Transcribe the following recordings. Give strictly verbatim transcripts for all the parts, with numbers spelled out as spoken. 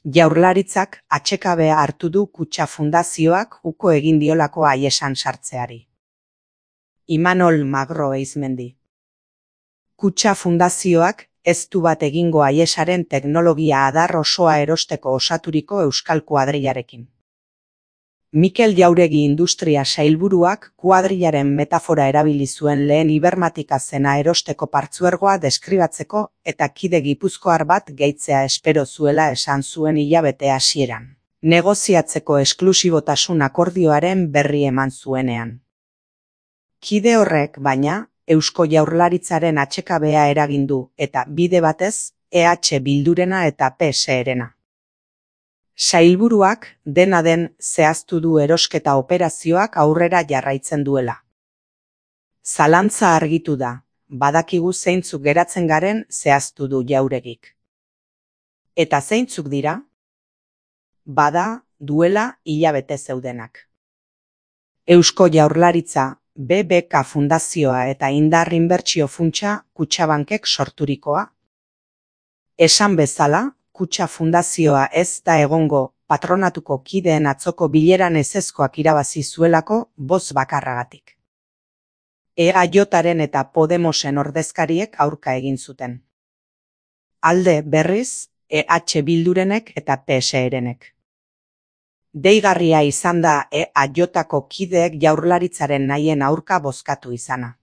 Jaurlaritzak atsekabea hartu du Kutxa Fundazioak uko egin diolako Aiesan sartzeari. Imanol Magro Eizmendi. Kutxa Fundazioak ez du bat egingo Aiesaren teknologia adar osoa erosteko osaturiko euskal kuadrillarekin. Mikel Jauregi industria sailburuak kuadrillaren metafora erabili zuen lehen ibermatika zena erosteko partzuergoa deskribatzeko eta kide gipuzkoar bat gehitzea espero zuela esan zuen hilabete hasieran, negoziatzeko esklusibotasun akordioaren berri eman zuenean. Kide horrek, baina, Eusko Jaurlaritzaren atsekabea eragin du eta bide batez E H Bildurena eta P S erena. Sailburuak dena den zehaztu du erosketa operazioak aurrera jarraitzen duela. Zalantza argitu da, badakigu zeintzuk geratzen garen zehaztu du Jauregik. Eta zeintzuk dira? Bada, duela hilabete zeudenak. Eusko Jaurlaritza, B B K Fundazioa eta Indar Inbertsio Funtsa Kutxabankek sorturikoa. Esan bezala, Kutxa Fundazioa ez da egongo patronatuko kideen atzoko bileran ezezkoak irabazi zuelako boz bakarragatik. E A Jaren eta Podemosen ordezkariek aurka egin zuten. Alde berriz, E H Bildurenek eta P S erenek. Deigarria izan da E A Jko kideek Jaurlaritzaren nahien aurka bozkatu izana.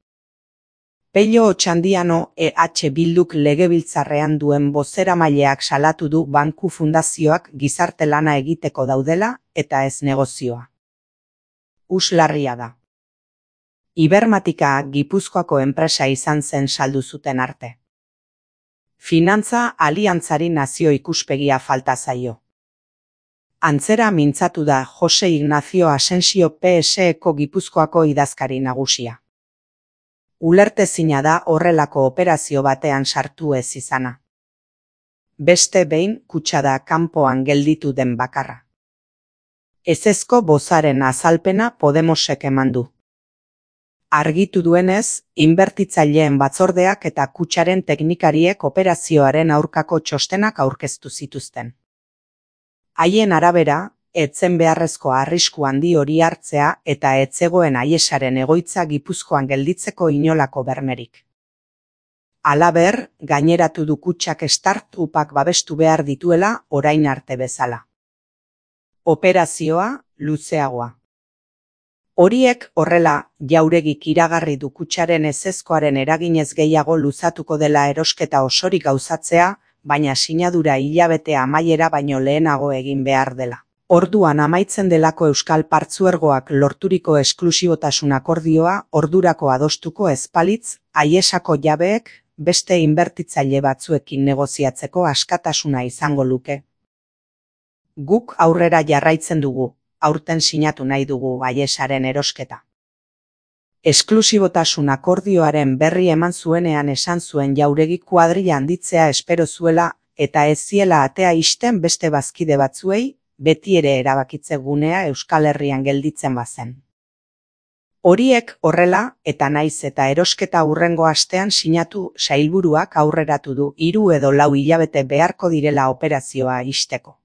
Pello Otxandiano E H Bilduk legebiltzarrean duen bozeramaileak salatu du banku fundazioak gizarte lana egiteko daudela eta ez negozioa. Uslarria da. Ibermatika Gipuzkoako enpresa izan zen saldu zuten arte. Finantza aliantzari nazio ikuspegia falta zaio. Antzera mintzatu da Jose Ignacio Asensio P S Eko Gipuzkoako idazkari nagusia. Ulertezina da horrelako operazio batean sartu ez izana. Beste behin kutxa da kanpoan gelditu den bakarra. Ezezko bozaren azalpena Podemosek eman du. Argitu duenez, inbertitzaileen batzordeak eta kutxaren teknikariek operazioaren aurkako txostenak aurkeztu zituzten. Haien arabera, etzen beharrezko arrisku handi hori hartzea eta etzegoen Aiesaren egoitza Gipuzkoan gelditzeko inolako bermerik. Halaber, gaineratu du kutxak start-upak babestu behar dituela orain arte bezala. Operazioa luzeagoa. Horiek horrela, Jauregik iragarri du kutxaren ezezkoaren eraginez gehiago luzatuko dela erosketa osorik gauzatzea, baina sinadura hilabetea amaiera baino lehenago egin behar dela. Orduan amaitzen delako euskal partzuergoak lorturiko esklusibotasun akordioa ordurako adostuko ezpalitz, Aiesako jabeek beste inbertitzaile batzuekin negoziatzeko askatasuna izango luke. Guk aurrera jarraitzen dugu, aurten sinatu nahi dugu Aiesaren erosketa. Esklusibotasun akordioaren berri eman zuenean esan zuen Jauregi kuadrilla handitzea espero zuela eta ez ziela atea ixten beste bazkide batzuei, beti ere erabakitze gunea Euskal Herrian gelditzen bazen. Horiek horrela eta naiz eta erosketa hurrengo astean sinatu sailburuak aurreratu du hiru edo lau hilabete beharko direla operazioa ixteko.